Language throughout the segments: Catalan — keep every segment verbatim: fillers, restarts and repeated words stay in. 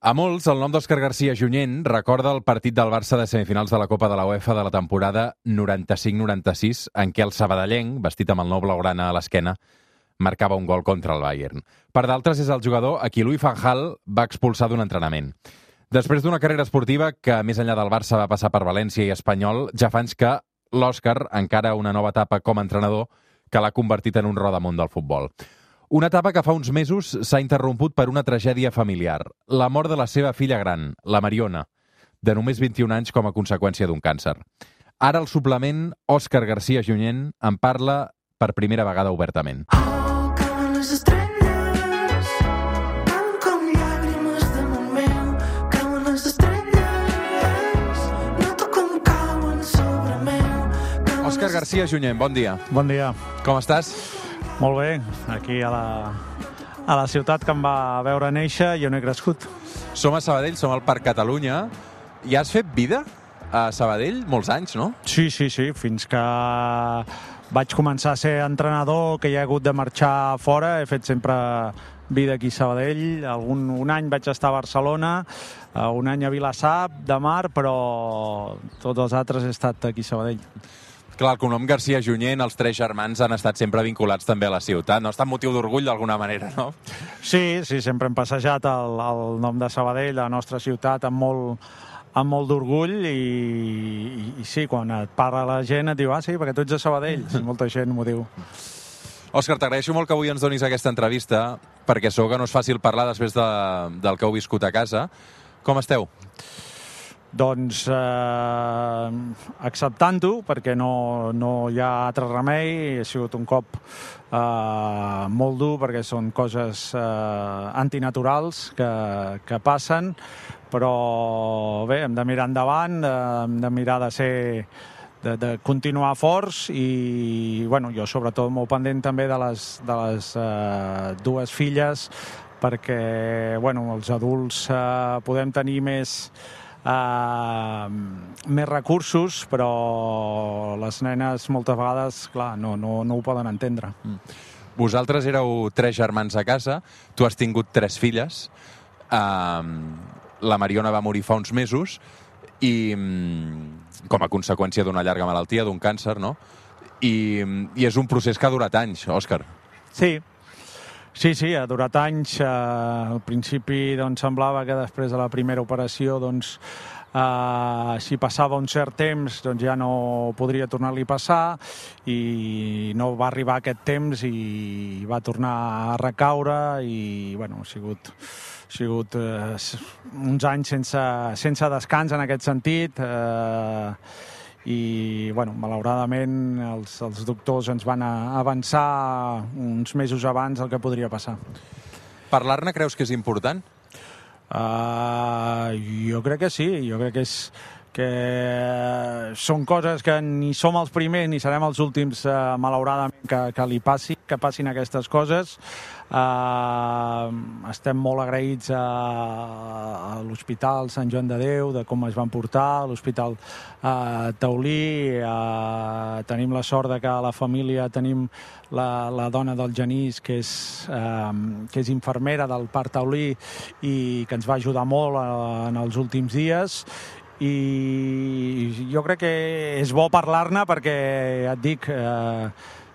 A molts, el nom d'Òscar García Junyent recorda el partit del Barça de semifinals de la Copa de la UEFA de la temporada noranta-cinc noranta-sis, en què el sabadellenc, vestit amb el nou blaugrana a l'esquena, marcava un gol contra el Bayern. Per d'altres, és el jugador a qui Louis van Gaal va expulsar d'un entrenament. Després d'una carrera esportiva que, més enllà del Barça, va passar per València i Espanyol, ja fa anys que l'Òscar encara una nova etapa com a entrenador que l'ha convertit en un rodamunt del futbol. Una etapa que fa uns mesos s'ha interromput per una tragèdia familiar, la mort de la seva filla gran, la Mariona, de només vint-i-un anys com a conseqüència d'un càncer. Ara el suplement, Òscar García Junyent, en parla per primera vegada obertament. Oh, cauen les estrelles, cauen com llàgrimes damunt meu, cauen les estrelles, noto com cauen sobre meu. Òscar García Junyent, bon dia. Bon dia. Com estàs? Molt bé, aquí a la, a la ciutat que em va veure néixer i on he crescut. Som a Sabadell, som al Parc Catalunya. I has fet vida a Sabadell molts anys, no? Sí, sí, sí, fins que vaig començar a ser entrenador, que hi ha hagut de marxar fora, he fet sempre vida aquí a Sabadell. Algun, un any vaig estar a Barcelona, un any a Vilassar de Mar, però tots els altres he estat aquí a Sabadell. Clar, el cognom García Junyent, els tres germans han estat sempre vinculats també a la ciutat. No? Està en motiu d'orgull d'alguna manera, no? Sí, sí, sempre hem passejat el, el nom de Sabadell, la nostra ciutat, amb molt, amb molt d'orgull i, i, i sí, quan et parla la gent et diu, ah, sí, perquè tu ets de Sabadell. Sí, molta gent m'ho diu. Òscar, t'agraeixo molt que avui ens donis aquesta entrevista, perquè segur que no és fàcil parlar després de, del que heu viscut a casa. Com esteu? Doncs eh, acceptant-ho, perquè no, no hi ha altre remei. Ha sigut un cop eh, molt dur, perquè són coses eh, antinaturals que, que passen, però bé, hem de mirar endavant, eh, hem de mirar de ser de, de continuar forts i bueno, jo sobretot molt pendent també de les, de les eh, dues filles, perquè bueno, els adults eh, podem tenir més Uh, més recursos, però les nenes moltes vegades, clar, no, no, no ho poden entendre. Mm. Vosaltres éreu tres germans a casa, tu has tingut tres filles, uh, la Mariona va morir fa uns mesos i um, com a conseqüència d'una llarga malaltia, d'un càncer, no? I, i és un procés que ha durat anys, Òscar. Sí, Sí, sí, ha durat anys. Eh, al principi doncs, semblava que després de la primera operació, doncs, eh, si passava un cert temps, doncs ja no podria tornar-li a passar i no va arribar aquest temps i va tornar a recaure i bueno, ha sigut, ha sigut eh, uns anys sense, sense descans en aquest sentit. Eh, i bueno, malauradament els, els doctors ens van avançar uns mesos abans el que podria passar. Parlar-ne creus que és important? Uh, jo crec que sí, jo crec que és que són coses que ni som els primers ni serem els últims, uh, malauradament, que, que li passi, que passin aquestes coses. Uh, estem molt agraïts a, a l'Hospital Sant Joan de Déu, de com es van portar, a l'Hospital uh, Taulí. Uh, tenim la sort de que a la família tenim la, la dona del Genís, que és, uh, que és infermera del Parc Taulí i que ens va ajudar molt uh, en els últims dies. I jo crec que és bo parlar-ne perquè, ja et dic, eh,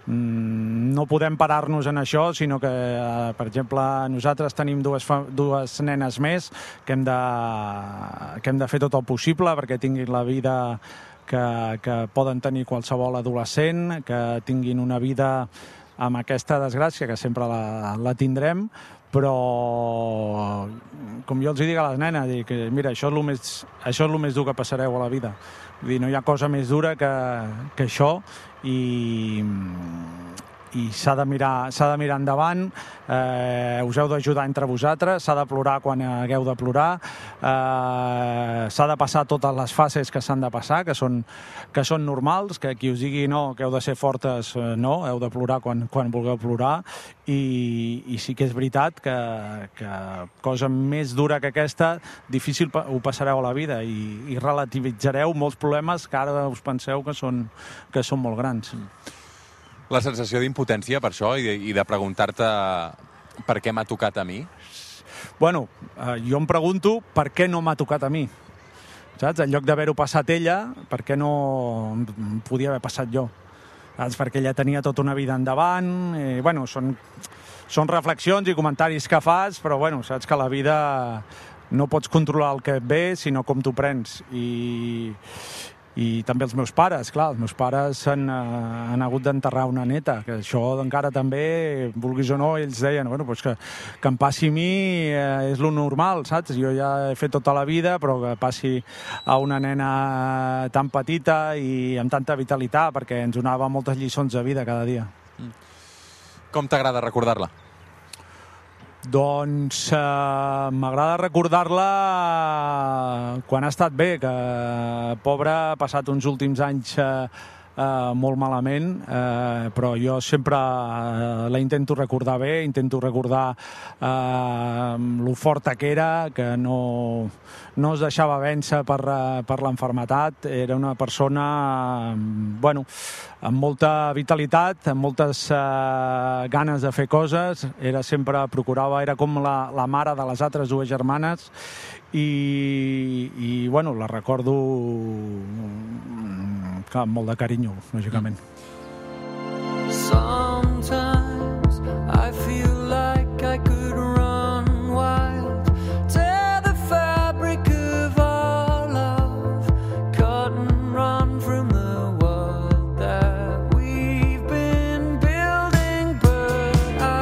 no podem parar-nos en això, sinó que, eh, per exemple, nosaltres tenim dues, dues nenes més que hem, de, que hem de fer tot el possible perquè tinguin la vida que, que poden tenir qualsevol adolescent, que tinguin una vida amb aquesta desgràcia, que sempre la, la tindrem, però com jo els dic a les nenes, dic, mira, això és el més, això és el més dur que passareu a la vida. Vull dir, no hi ha cosa més dura que, que això i, i s'ha de mirar, s'ha de mirar endavant, eh, us heu d'ajudar entre vosaltres, s'ha de plorar quan hagueu de plorar, eh, s'ha de passar totes les fases que s'han de passar, que són, que són normals, que qui us digui no, que heu de ser fortes, eh, no, heu de plorar quan, quan vulgueu plorar, i, i sí que és veritat que, que cosa més dura que aquesta, difícil ho passareu a la vida i, i relativitzareu molts problemes que ara us penseu que són, que són molt grans. La sensació d'impotència per això i de, i de preguntar-te per què m'ha tocat a mi? bueno, eh, jo em pregunto per què no m'ha tocat a mi. Saps? En lloc d'haver-ho passat ella, per què no em podia haver passat jo? Saps? Perquè ella tenia tota una vida endavant. I, bueno, són, són reflexions i comentaris que fas, però bueno, saps que la vida no pots controlar el que et ve, sinó com t'ho prens. I, i també els meus pares, clar, els meus pares han, uh, han hagut d'enterrar una neta, que això encara també, vulguis o no, ells deien, bueno, pues que, que em passi a mi eh, és lo normal, saps? Jo ja he fet tota la vida, però que passi a una nena tan petita i amb tanta vitalitat, perquè ens donava moltes lliçons de vida cada dia. Com t'agrada recordar-la? Doncs eh, m'agrada recordar-la quan ha estat bé, que pobra ha passat uns últims anys eh, eh, molt malament, eh, però jo sempre eh, la intento recordar bé, intento recordar eh, lo forta que era, que no, no es deixava vèncer per, per l'enfermetat, era una persona eh, bueno, amb molta vitalitat, amb moltes eh, ganes de fer coses, era sempre, procurava, era com la, la mare de les altres dues germanes i, i bueno, la recordo clar, amb molt de carinyo, lògicament. Sometimes I feel like I could run wild, tear the fabric of our love, cut and run from the world that we've been building, but I...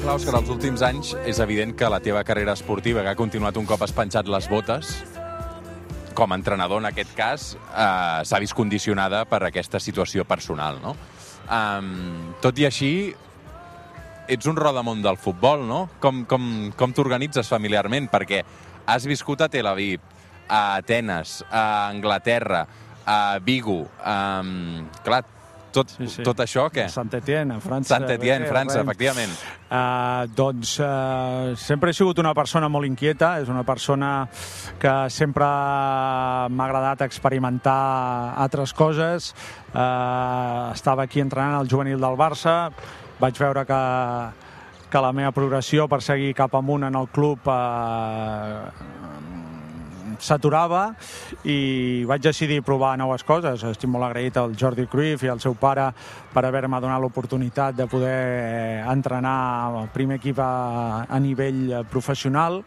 Clar, Òscar, els últims anys és evident que la teva carrera esportiva, que ha continuat un cop has penjat les botes, com a entrenador en aquest cas, eh, s'ha vist condicionada per aquesta situació personal, no? Um, tot i així, ets un rodamont del futbol, no? Com, com, com t'organitzes familiarment? Perquè has viscut a Tel Aviv, a Atenes, a Anglaterra, a Vigo, um, clar, tot, sí, sí. tot això, què? Saint-Étienne, a França. Saint-Étienne, França, efectivament. Uh, doncs uh, sempre he sigut una persona molt inquieta, és una persona que sempre m'ha agradat experimentar altres coses. Uh, estava aquí entrenant al juvenil del Barça, vaig veure que, que la meva progressió per seguir cap amunt en el club uh, s'aturava i vaig decidir provar noves coses. Estic molt agraït al Jordi Cruyff i al seu pare per haver-me donat l'oportunitat de poder entrenar al primer equip a, a nivell professional,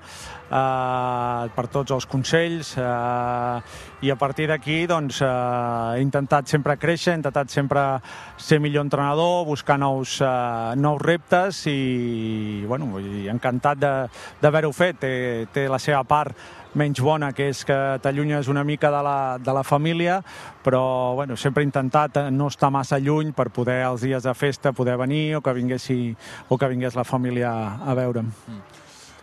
eh, per tots els consells, eh, i a partir d'aquí doncs, eh, he intentat sempre créixer, he intentat sempre ser millor entrenador, buscar nous, eh, nous reptes i bueno, encantat d'haver-ho fet. Té, té la seva part menys bona, que és que t'allunyes una mica de la, de la família, però bueno, sempre he intentat no estar massa lluny per poder els dies de festa poder venir o que, vinguessi, o que vingués la família a veure'm. Mm.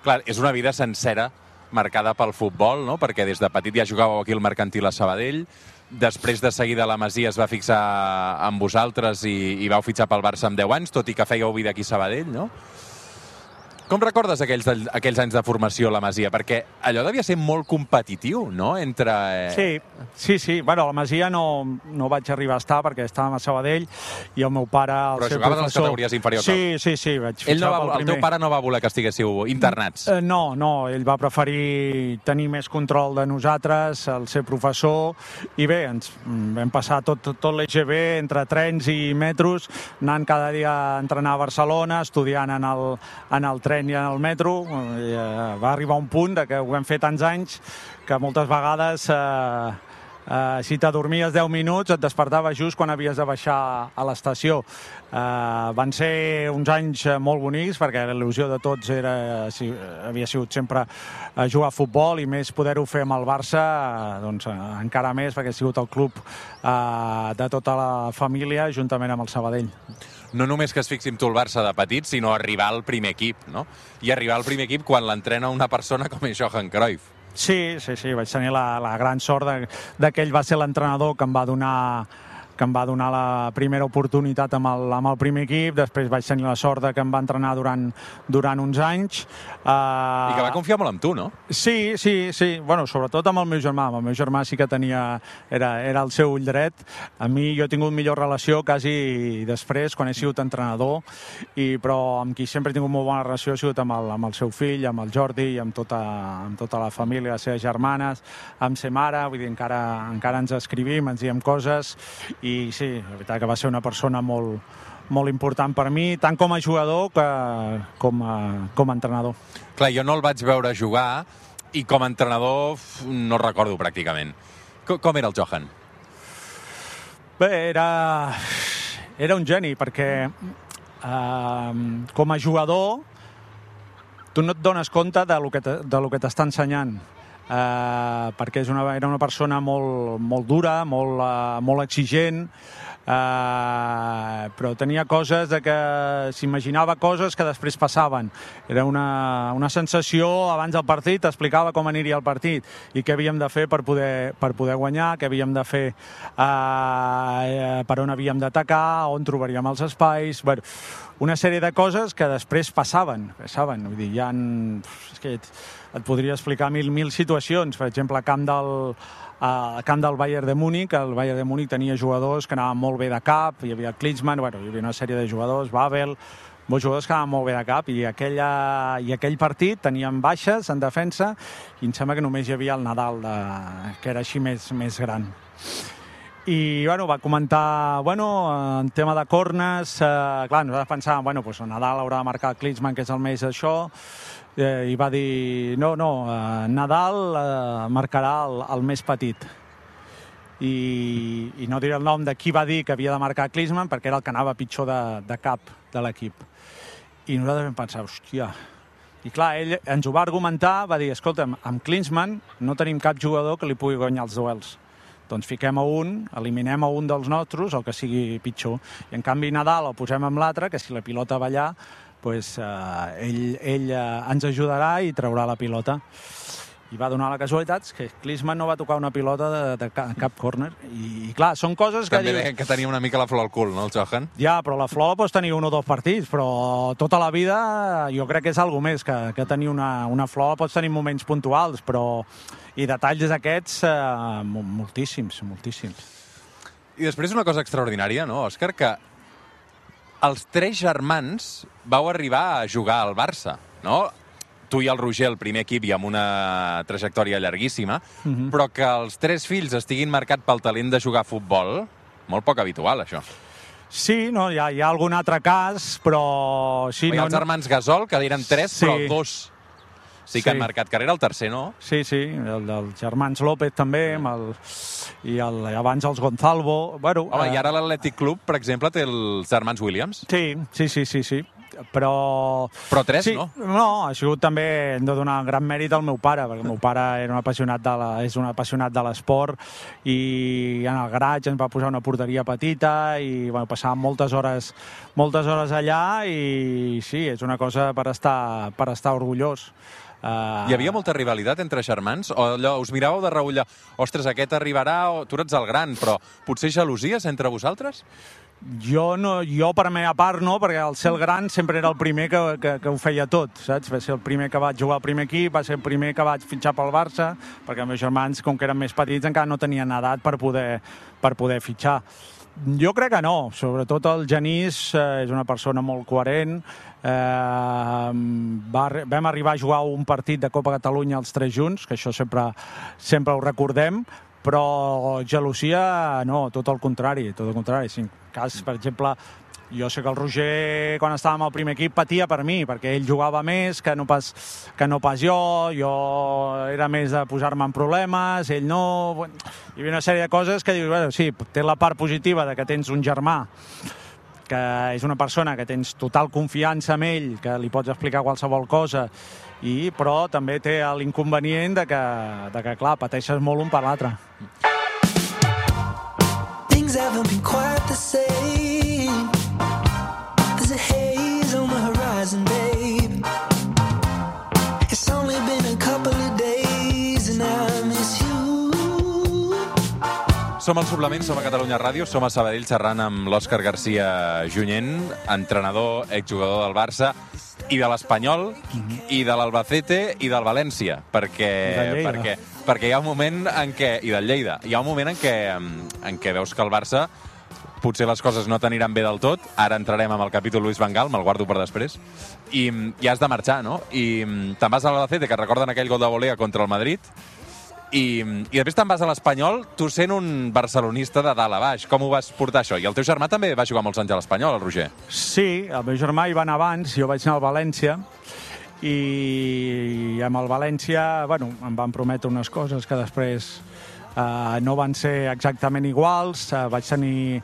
Clar, és una vida sencera marcada pel futbol, no? Perquè des de petit ja jugàveu aquí al Mercantil a Sabadell, després de seguida la Masia es va fixar amb vosaltres i, i vau fitxar pel Barça amb deu anys, tot i que fèieu vida aquí a Sabadell, no? Com recordes aquells, aquells anys de formació a la Masia? Perquè allò devia ser molt competitiu, no? Entre... Eh... Sí, sí, sí. Bueno, a la Masia no, no vaig arribar a estar perquè estàvem a Sabadell i el meu pare... El Però seu jugaves professor... a les categories inferiors. Sí, sí, sí. Vaig ell no va, pel el primer. teu pare no va voler que estiguéssiu internats? Eh, no, no. Ell va preferir tenir més control de nosaltres, el ser professor, i bé, ens vam passar tot, tot l'E G B entre trens i metros, anant cada dia a entrenar a Barcelona, estudiant en el, en el tren i en el metro. I, eh, va arribar un punt de que ho vam fer tants anys que moltes vegades eh, eh, si t'adormies deu minuts et despertava just quan havies de baixar a l'estació. Eh, van ser uns anys molt bonics perquè l'il·lusió de tots era, si, havia sigut sempre a jugar a futbol i més poder-ho fer amb el Barça, eh, doncs eh, encara més perquè ha sigut el club eh, de tota la família juntament amb el Sabadell. No només que es fixi tu el Barça de petit, sinó arribar al primer equip, no? I arribar al primer equip quan l'entrena una persona com és Johan Cruyff. Sí, sí, sí, vaig tenir la, la gran sort de, de que ell va ser l'entrenador que em va donar que em va donar la primera oportunitat amb el, amb el primer equip, després vaig tenir la sort de que em va entrenar durant, durant uns anys. Uh, I que va confiar molt en tu, no? Sí, sí, sí. Bueno, sobretot amb el meu germà. Amb el meu germà sí que tenia... Era, era el seu ull dret. A mi jo he tingut millor relació quasi després, quan he sigut entrenador, i, però amb qui sempre he tingut molt bona relació ha sigut amb el, amb el seu fill, amb el Jordi i amb tota, amb tota la família, les seves germanes, amb sa mare, vull dir, encara, encara ens escrivim, ens diem coses, i sí, la veritat que va ser una persona molt, molt important per mi, tant com a jugador que com a, com a entrenador. Clar, jo no el vaig veure jugar i com a entrenador no el recordo pràcticament. Com, com era el Johan? Bé, era, era un geni, perquè eh, com a jugador tu no et dones compte de lo que te, de lo que t'està ensenyant. Uh, perquè és una, era una persona molt, molt dura, molt, uh, molt exigent, uh, però tenia coses de que s'imaginava coses que després passaven. Era una, una sensació abans del partit, explicava com aniria el partit i què havíem de fer per poder, per poder guanyar, què havíem de fer, uh, per on havíem d'atacar, on trobaríem els espais... Bueno, una sèrie de coses que després passaven, passaven. Vull dir, hi ha... És que et podria explicar mil, mil situacions. Per exemple, al camp del, al camp del Bayern de Múnich, el Bayern de Múnich tenia jugadors que anaven molt bé de cap, hi havia Klinsmann, bueno, hi havia una sèrie de jugadors, Babel, molts jugadors que anaven molt bé de cap, i, aquella, i aquell partit teníem baixes en defensa, i em sembla que només hi havia el Nadal, de, que era així més, més gran. I, bueno, va comentar, bueno, en tema de cornes, eh, clar, nosaltres pensàvem, bueno, pues el Nadal haurà de marcar el Klinsmann, que és el més això, eh, i va dir, no, no, eh, Nadal eh, marcarà el, el més petit. I, I no diré el nom de qui va dir que havia de marcar Klinsmann, perquè era el que anava pitjor de, de cap de l'equip. I nosaltres vam pensar, hòstia... I clar, ell ens ho va argumentar, va dir, escolta'm, amb Klinsmann no tenim cap jugador que li pugui guanyar els duels. Doncs fiquem a un, eliminem a un dels nostres, el que sigui pitjor. I en canvi Nadal el posem amb l'altre, que si la pilota va allà, doncs, eh, ell, ell eh, ens ajudarà i traurà la pilota. I va donar la casualitat que Klinsmann no va tocar una pilota de, de cap córner. I, I clar, són coses que... També dius... que tenia una mica la flor al cul, no, el Johan? Ja, però la flor pots tenir un o dos partits, però tota la vida jo crec que és alguna més que, que tenir una, una flor, pots tenir moments puntuals, però... I detalls d'aquests, eh, moltíssims, moltíssims. I després una cosa extraordinària, no, Òscar, que els tres germans vau arribar a jugar al Barça, no? Tu i el Roger, el primer equip, i amb una trajectòria llarguíssima, uh-huh. però que els tres fills estiguin marcats pel talent de jugar a futbol, molt poc habitual, això. Sí, no, hi ha, hi ha algun altre cas, però... Sí, hi ha no, els germans Gasol, que eren tres, sí. però dos... Sí que sí. Han marcat carrera, el tercer no? Sí, sí, el dels germans López també, amb el, i el, abans els Gonzalvo. Bueno, Home, eh, i ara l'Atlètic Club, per exemple, té els germans Williams? Sí, sí, sí, sí, sí. Però... Però tres, sí, no? No, ha sigut també, hem de donar gran mèrit al meu pare, perquè el meu pare era un apassionat de la, és un apassionat de l'esport, i en el garatge ens va posar una porteria petita i bueno, passàvem moltes hores, moltes hores allà, i sí, és una cosa per estar, per estar orgullós. Uh... Hi havia molta rivalitat entre germans? O allò, us miràveu de reüll, ostres, aquest arribarà, o tu ets el gran, però potser gelosies entre vosaltres? Jo, no, jo per la meva part no, perquè el ser el gran sempre era el primer que, que, que ho feia tot, saps? Va ser el primer que vaig jugar al primer equip, va ser el primer que vaig fitxar pel Barça, perquè els meus germans, com que eren més petits, encara no tenien edat per poder, per poder fitxar. Jo crec que no, sobretot el Genís eh, és una persona molt coherent, eh, va, vam arribar a jugar un partit de Copa Catalunya els tres junts, que això sempre, sempre ho recordem, però gelosia no, tot el contrari, tot el contrari. Si en cas, per exemple, jo sé que el Roger, quan estàvem al primer equip, patia per mi, perquè ell jugava més que no pas, que no pas jo, jo era més de posar-me en problemes, ell no... Hi havia una sèrie de coses que dius, bueno, sí, té la part positiva de que tens un germà, que és una persona que tens total confiança en ell, que li pots explicar qualsevol cosa, i, però també té l'inconvenient de que, de que, clar, pateixes molt un per l'altre. Things haven't been quite the same. There's a haze on the horizon, babe. It's only been a couple of days and I miss you. Som al Suplement, som a Catalunya Ràdio, som a Sabadell xerrant amb l'Òscar García Junyent, entrenador, exjugador del Barça, i de l'Espanyol, mm-hmm. i de l'Albacete, i del València, perquè, perquè, perquè hi ha un moment en què, i del Lleida, hi ha un moment en què, en què veus que el Barça potser les coses no t'aniran bé del tot. Ara entrarem amb el capítol Luis Van Gaal, me'l guardo per després, i, i has de marxar, no? I te'n vas a l'Albacete, que recorden aquell gol de volea contra el Madrid, i, i després te'n vas a l'Espanyol, tu sent un barcelonista de dalt a baix. Com ho vas portar, això? I el teu germà també va jugar molts anys a l'Espanyol, el Roger? Sí, el meu germà hi va anar abans, jo vaig anar al València, i amb el València, bueno, em van prometre unes coses que després Uh, no van ser exactament iguals. Uh, vaig tenir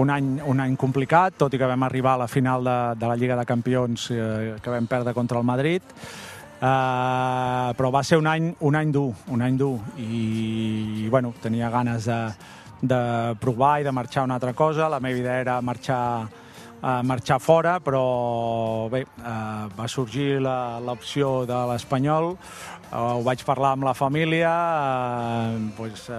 un any, un any complicat, tot i que vam arribar a la final de, de la Lliga de Campions uh, que vam perdre contra el Madrid. Uh, però va ser un any, un any dur, un any dur. I, i bueno, tenia ganes de, de provar i de marxar a una altra cosa. La meva idea era marxar, uh, marxar fora, però bé, uh, va sorgir l'opció de l'Espanyol. Uh, ho vaig parlar amb la família, uh, pues, uh,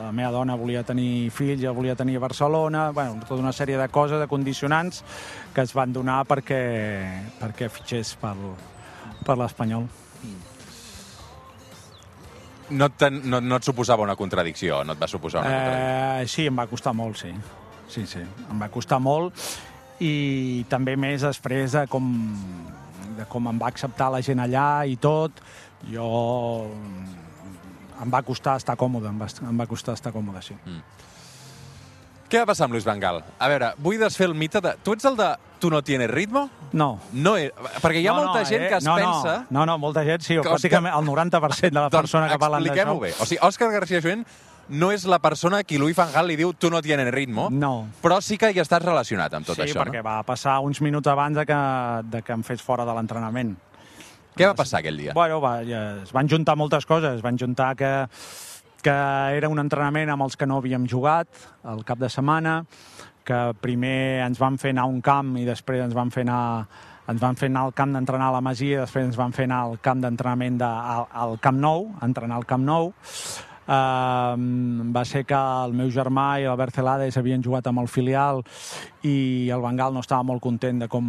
la meva dona volia tenir fills, ja volia tenir a Barcelona, bueno, tota una sèrie de coses, de condicionants que es van donar perquè, perquè fitxés per, per l'Espanyol. No, no, no et suposava una contradicció? No et va suposar una contradicció? Eh, sí, em va costar molt, sí. Sí, sí, em va costar molt, i també més després de com, de com em va acceptar la gent allà i tot. Jo... em va costar estar còmode, em va, em va costar estar còmode, sí. Mm. Què va passar amb Luis Van Gaal? A veure, vull desfer el mite de... Tu ets el de tu no tienes ritmo? No. No, perquè hi ha no, molta no, gent eh? que es no, pensa... No, no, molta gent, sí, que pràcticament el noranta per cent de la doncs persona que parlen d'això. Expliquem-ho bé. O sigui, Òscar García Junyent no és la persona a qui Luis Van Gaal li diu tu no tienes ritmo, no. Però sí que hi estàs relacionat amb tot sí, això, no? Sí, perquè va passar uns minuts abans de que, de que em fes fora de l'entrenament. Què va passar aquell dia? Bueno, va, ja, es van juntar moltes coses. Es van juntar que, que era un entrenament amb els que no havíem jugat el cap de setmana, que primer ens van fer anar a un camp i després ens van fer anar, ens van fer anar al camp d'entrenar a la Masia, i després ens van fer anar al camp d'entrenament de, al, al Camp Nou, entrenar al Camp Nou. Uh, va ser que el meu germà i l'Albert Celades havien jugat amb el filial i el Van Gaal no estava molt content de com,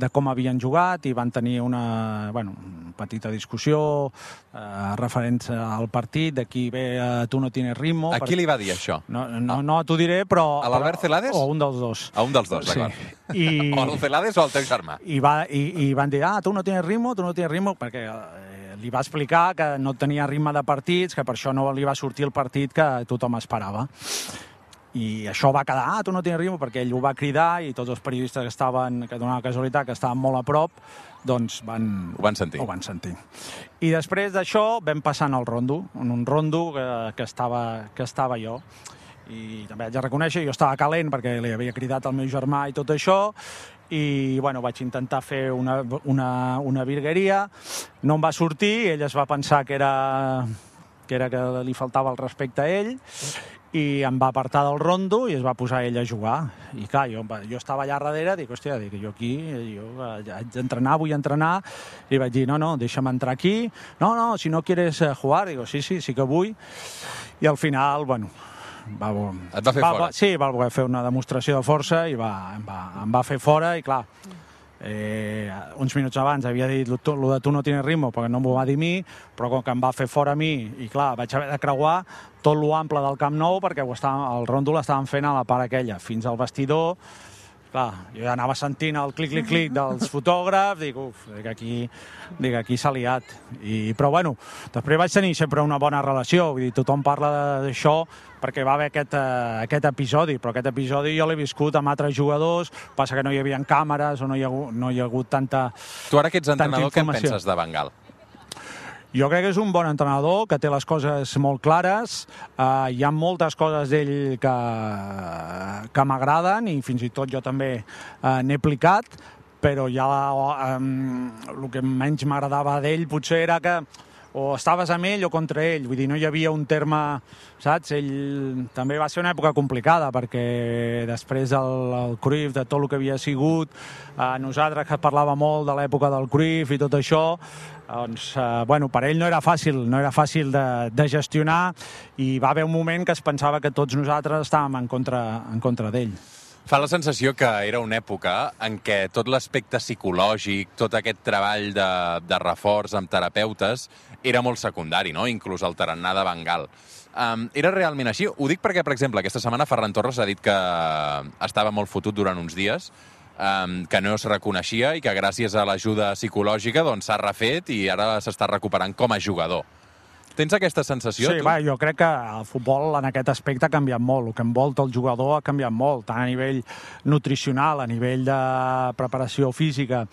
de com havien jugat, i van tenir una bueno, petita discussió uh, referent al partit, de qui ve uh, tu no tienes ritmo. A qui li va dir això? No, no, no t'ho diré, però... A l'Albert Celades? O un dels dos. A un dels dos, d'acord. Sí. I... O el Celades o el teu germà. I, va, i, i van dir, ah, tu no tienes ritmo, tu no tienes ritmo, perquè... Eh, li va explicar que no tenia ritme de partits, que per això no li va sortir el partit que tothom esperava. I això va quedar, ah, tu no tens ritme, perquè ell ho va cridar i tots els periodistes que estaven, que donava casualitat, que estaven molt a prop, doncs van... Ho van sentir. Ho van sentir. I després d'això vam passant al rondo, en un rondo que, que, estava, que estava jo. I també haig de reconèixer, jo estava calent perquè li havia cridat al meu germà i tot això, i bueno, vaig intentar fer una, una, una virgueria, no em va sortir, ell es va pensar que era, que era que li faltava el respecte a ell, i em va apartar del rondo i es va posar ell a jugar. I clar, jo, jo estava allà darrere, dic, hòstia, dic, jo aquí, jo haig d'entrenar, vull entrenar, i vaig dir, no, no, deixa'm entrar aquí, no, no, si no quieres jugar, dic, sí, sí, sí que vull, i al final, bueno... Va, Et va fer va, fora? Va, sí, va voler fer una demostració de força i va, em, va, em va fer fora, i clar, eh, uns minuts abans havia dit lo de tu no tienes ritmo perquè no m'ho va dir a mi, però com que em va fer fora a mi, i clar, vaig haver de creuar tot l'ample del Camp Nou perquè ho estava, el rondo l'estaven fent a la part aquella, fins al vestidor. Clar, jo ja anava sentint el clic-clic-clic dels fotògrafs, dic, uf, dic, aquí, dic, aquí s'ha liat. I, però bueno, després vaig tenir sempre una bona relació, vull dir, tothom parla d'això perquè va haver aquest, uh, aquest episodi, però aquest episodi jo l'he viscut amb altres jugadors, passa que no hi havia càmeres o no hi ha hagut, no hi ha hagut tanta Tu ara que ets entrenador, què en penses de Van Gaal? Jo crec que és un bon entrenador, que té les coses molt clares. Uh, hi ha moltes coses d'ell que, que m'agraden i fins i tot jo també uh, n'he aplicat, però ja um, el que menys m'agradava d'ell potser era que o estaves amb ell o contra ell, vull dir, no hi havia un terme, saps? Ell també va ser una època complicada perquè després del el Cruyff, de tot el que havia sigut, eh, nosaltres que parlava molt de l'època del Cruyff i tot això, doncs, eh, bueno, per ell no era fàcil, no era fàcil de, de gestionar i va haver un moment que es pensava que tots nosaltres estàvem en contra, en contra d'ell. Fa la sensació que era una època en què tot l'aspecte psicològic, tot aquest treball de, de reforç amb terapeutes era molt secundari, no? Inclús el tarannà de Bengal. Um, era realment així? Ho dic perquè, per exemple, aquesta setmana Ferran Torres ha dit que estava molt fotut durant uns dies, um, que no es reconeixia i que gràcies a l'ajuda psicològica doncs, s'ha refet i ara s'està recuperant com a jugador. Tens aquesta sensació, sí, tu? Va, jo crec que el futbol en aquest aspecte ha canviat molt. El que envolta el jugador ha canviat molt, tant a nivell nutricional, a nivell de preparació física.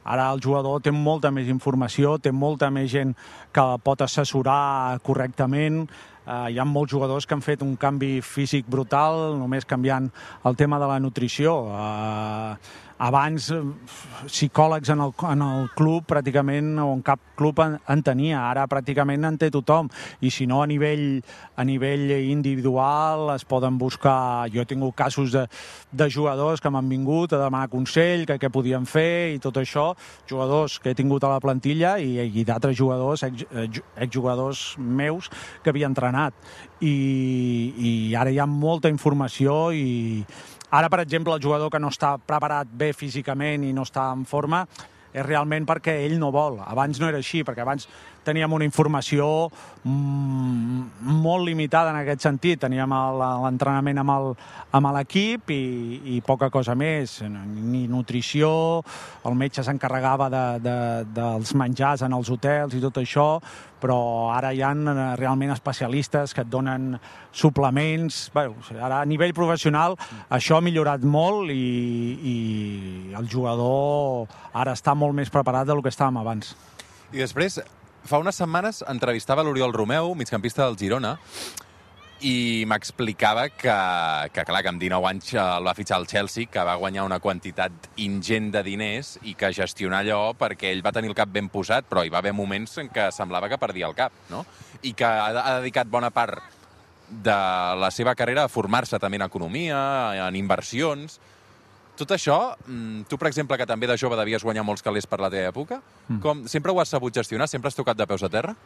Ara el jugador té molta més informació, té molta més gent que pot assessorar correctament. Uh, hi ha molts jugadors que han fet un canvi físic brutal només canviant el tema de la nutrició. Uh, abans psicòlegs en el, en el club pràcticament, o en cap club en, en tenia, ara pràcticament en té tothom, i si no a nivell, a nivell individual es poden buscar. Jo he tingut casos de, de jugadors que m'han vingut a demanar consell, que què podien fer i tot això, jugadors que he tingut a la plantilla i, i d'altres jugadors, ex, exjugadors meus que havia entrenat, i, i ara hi ha molta informació. I ara, per exemple, el jugador que no està preparat bé físicament i no està en forma és realment perquè ell no vol. Abans no era així, perquè abans teníem una informació mm, molt limitada en aquest sentit. Teníem l'entrenament amb l'equip i, i poca cosa més, ni nutrició, el metge s'encarregava de, de, dels menjars en els hotels i tot això, però ara hi ha realment especialistes que et donen suplements. Bé, ara a nivell professional això ha millorat molt i, i el jugador ara està molt més preparat del que estàvem abans. I després, fa unes setmanes entrevistava l'Oriol Romeu, migcampista del Girona, i m'explicava que, que, clar, que amb dinou anys el va fitxar el Chelsea, que va guanyar una quantitat ingent de diners i que gestionar allò perquè ell va tenir el cap ben posat, però hi va haver moments en què semblava que perdia el cap, no? I que ha, ha dedicat bona part de la seva carrera a formar-se també en economia, en inversions. Tot això, tu, per exemple, que també de jove devies guanyar molts calés per la teva època, com, sempre ho has sabut gestionar? Sempre has tocat de peus a terra?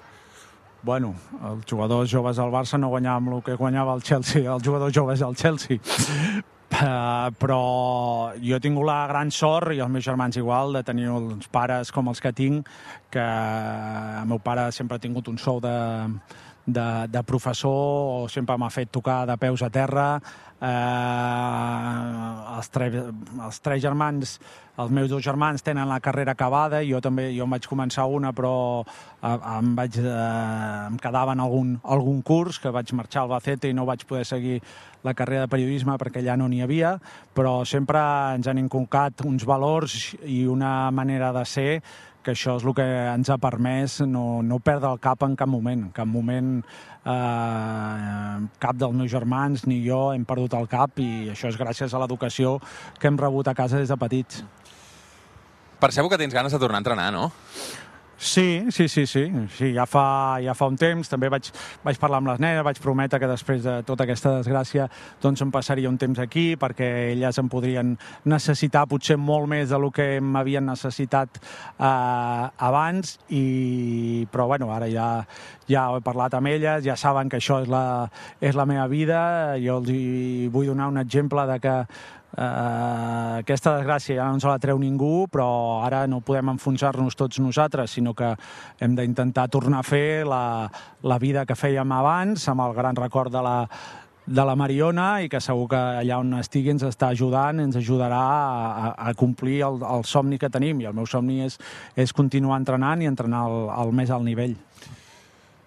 Bueno, els jugadors joves al Barça no guanyàvem el que guanyava el Chelsea, els jugadors joves al Chelsea. Uh, però jo he tingut la gran sort, i els meus germans igual, de tenir uns pares com els que tinc, que el meu pare sempre ha tingut un sou de, de, de professor, o sempre m'ha fet tocar de peus a terra. Uh, els, tre els tres germans, els meus dos germans tenen la carrera acabada, jo també, jo em vaig començar una, però uh, em, vaig, uh, em quedava en algun, algun curs, que vaig marxar al Albacete i no vaig poder seguir la carrera de periodisme perquè allà no n'hi havia, però sempre ens han inculcat uns valors i una manera de ser, que això és el que ens ha permès no, no perdre el cap en cap moment. En cap moment eh, cap dels meus germans ni jo hem perdut el cap, i això és gràcies a l'educació que hem rebut a casa des de petits. Percebo que tens ganes de tornar a entrenar, no? Sí, sí, sí, sí. sí ja, fa, ja fa un temps. També vaig, vaig parlar amb les nenes, vaig prometre que després de tota aquesta desgràcia doncs em passaria un temps aquí, perquè elles em podrien necessitar potser molt més del que m'havien necessitat eh, abans, i, però bueno, ara ja, ja he parlat amb elles, ja saben que això és la, és la meva vida. Jo els hi vull donar un exemple de que Uh, aquesta desgràcia ja no ens la treu ningú, però ara no podem enfonsar-nos tots nosaltres, sinó que hem d'intentar tornar a fer la, la vida que fèiem abans, amb el gran record de la, de la Mariona, i que segur que allà on estigui ens està ajudant, ens ajudarà a, a complir el, el somni que tenim, i el meu somni és, és continuar entrenant i entrenar al, al més alt nivell.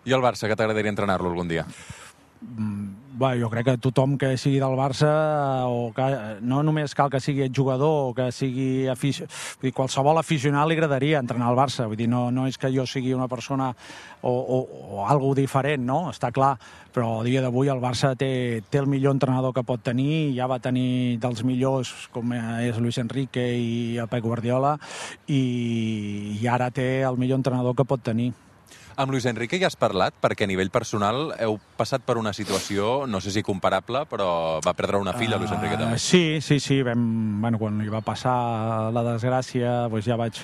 I el Barça, que t'agradaria entrenar-lo algun dia? Bé, jo crec que tothom que sigui del Barça, o que no només cal que sigui jugador o que sigui afici... Vull dir, qualsevol aficionat li agradaria entrenar al Barça. Vull dir, no, no és que jo sigui una persona o, o, o algo diferent, no? Està clar, però a dia d'avui el Barça té, té el millor entrenador que pot tenir, ja va tenir dels millors com és Luis Enrique i el Pep Guardiola, i, i ara té el millor entrenador que pot tenir. Amb Luis Enrique ja has parlat, perquè a nivell personal heu passat per una situació, no sé si comparable, però va perdre una filla, uh, Luis Enrique també. Sí, sí, sí. Vam, bueno, quan li va passar la desgràcia, doncs ja vaig,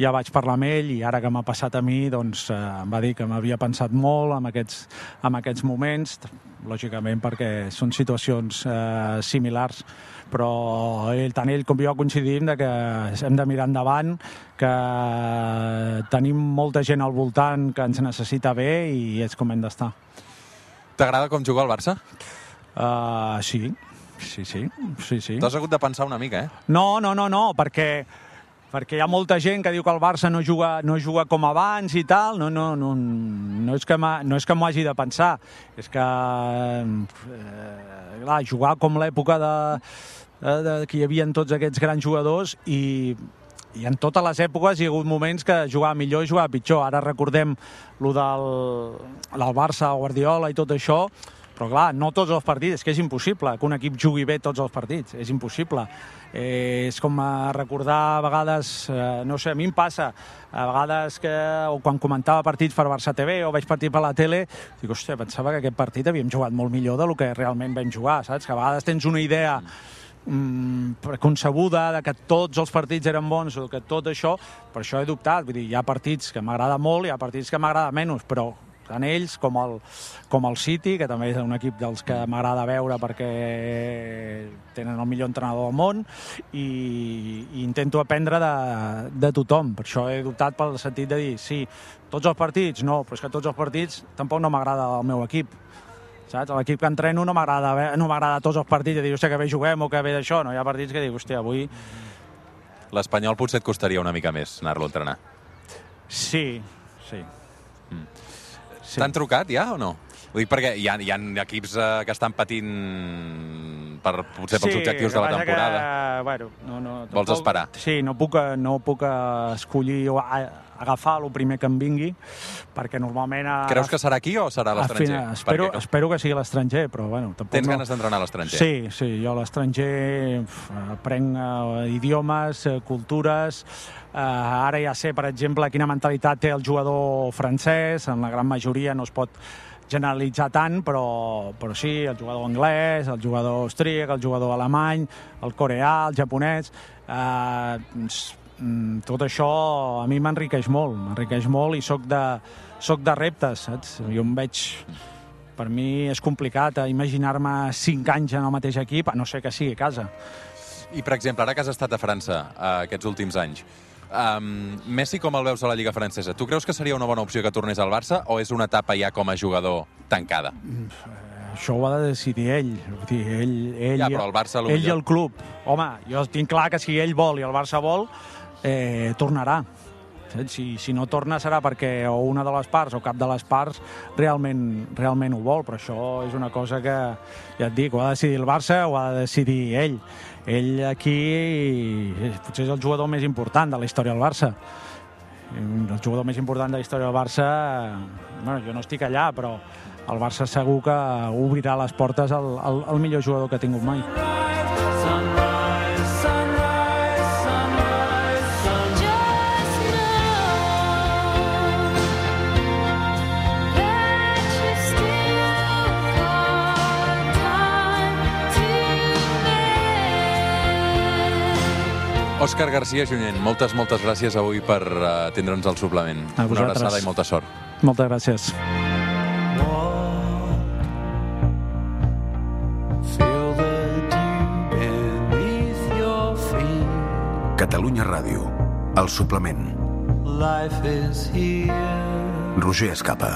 ja vaig parlar amb ell, i ara que m'ha passat a mi, doncs eh, em va dir que m'havia pensat molt en aquests, en aquests moments, lògicament perquè són situacions eh, similars, però ell, tant ell com jo coincidim de que hem de mirar endavant, que tenim molta gent al voltant que ens necessita bé i és com hem d'estar. T'agrada com juga el Barça? Uh, sí, sí, sí, sí, sí. T'has hagut de pensar una mica, eh? No, no, no, no, perquè perquè hi ha molta gent que diu que el Barça no juga, no juga com abans i tal. No, no, no, no és que no és que m'ho hagi de pensar, és que eh, clar, jugar com l'època de, de, de que hi havia tots aquests grans jugadors, i i en totes les èpoques hi ha hagut moments que jugava millor i jugava pitjor. Ara recordem lo del, del Barça, Guardiola i tot això, però clar, no tots els partits, és que és impossible que un equip jugui bé tots els partits, és impossible. Eh, és com recordar a vegades, eh, no sé, a mi em passa, a vegades que, o quan comentava partits per Barça T V o veig partit per la tele, dic, hòstia, pensava que aquest partit havíem jugat molt millor del que realment vam jugar, saps? Que a vegades tens una idea preconcebuda de que tots els partits eren bons o que tot això, per això he dubtat. Vull dir, hi ha partits que m'agrada molt, hi ha partits que m'agrada menys, però tant ells com el, com el City, que també és un equip dels que m'agrada veure perquè tenen el millor entrenador del món, i, i intento aprendre de, de tothom. Per això he dubtat pel sentit de dir, sí, tots els partits, no, però és que tots els partits tampoc no m'agrada el meu equip. Saps? L'equip que entreno no m'agrada no m'agrada tots els partits, de dir, hòstia, que bé juguem o que bé d'això. No, hi ha partits que dic, hòstia, avui... L'Espanyol potser et costaria una mica més anar-lo a entrenar. Sí, sí. Mm. sí. T'han trucat ja o no? Ho dic perquè hi ha, hi ha equips eh, que estan patint per, potser pels sí, objectius de la temporada. Que, bueno, no, no, Vols tampoc, esperar? Sí, no puc, no puc escollir o agafar el primer que em vingui, perquè normalment... A, Creus que serà aquí o serà a l'estranger? Espero, perquè... espero que sigui a l'estranger, però bueno... Tens no... ganes d'entrenar a l'estranger? Sí, sí, jo a l'estranger aprenc uh, idiomes, uh, cultures... Uh, ara ja sé, per exemple, quina mentalitat té el jugador francès, en la gran majoria no es pot generalitzar tant, però, però sí, el jugador anglès, el jugador austríac, el jugador alemany, el coreà, el japonès... Uh, tot això a mi m'enriqueix molt, m'enriqueix molt i soc de, soc de reptes, saps? Jo em veig... Per mi és complicat imaginar-me cinc anys en el mateix equip, a no ser que sigui a casa. I, per exemple, ara que has estat a França eh, aquests últims anys, um, Messi com el veus a la Lliga francesa? Tu creus que seria una bona opció que tornés al Barça o és una etapa ja com a jugador tancada? Això ho ha de decidir ell. Vull dir, ell, ell, ja, però el Barça... Ell i el club. Home, jo tinc clar que si ell vol i el Barça vol, eh, tornarà. Si, si no torna serà perquè o una de les parts o cap de les parts realment, realment ho vol, però això és una cosa que, ja et dic, ho ha de decidir el Barça o ha de decidir ell. Ell aquí potser és el jugador més important de la història del Barça. El jugador més important de la història del Barça, bueno, jo no estic allà, però el Barça segur que obrirà les portes al, al, al millor jugador que ha tingut mai. Òscar García Junyent, moltes, moltes gràcies avui per atendre'ns al suplement. Una abraçada i molta sort. Moltes gràcies. Catalunya Ràdio, el suplement. Roger Escapa.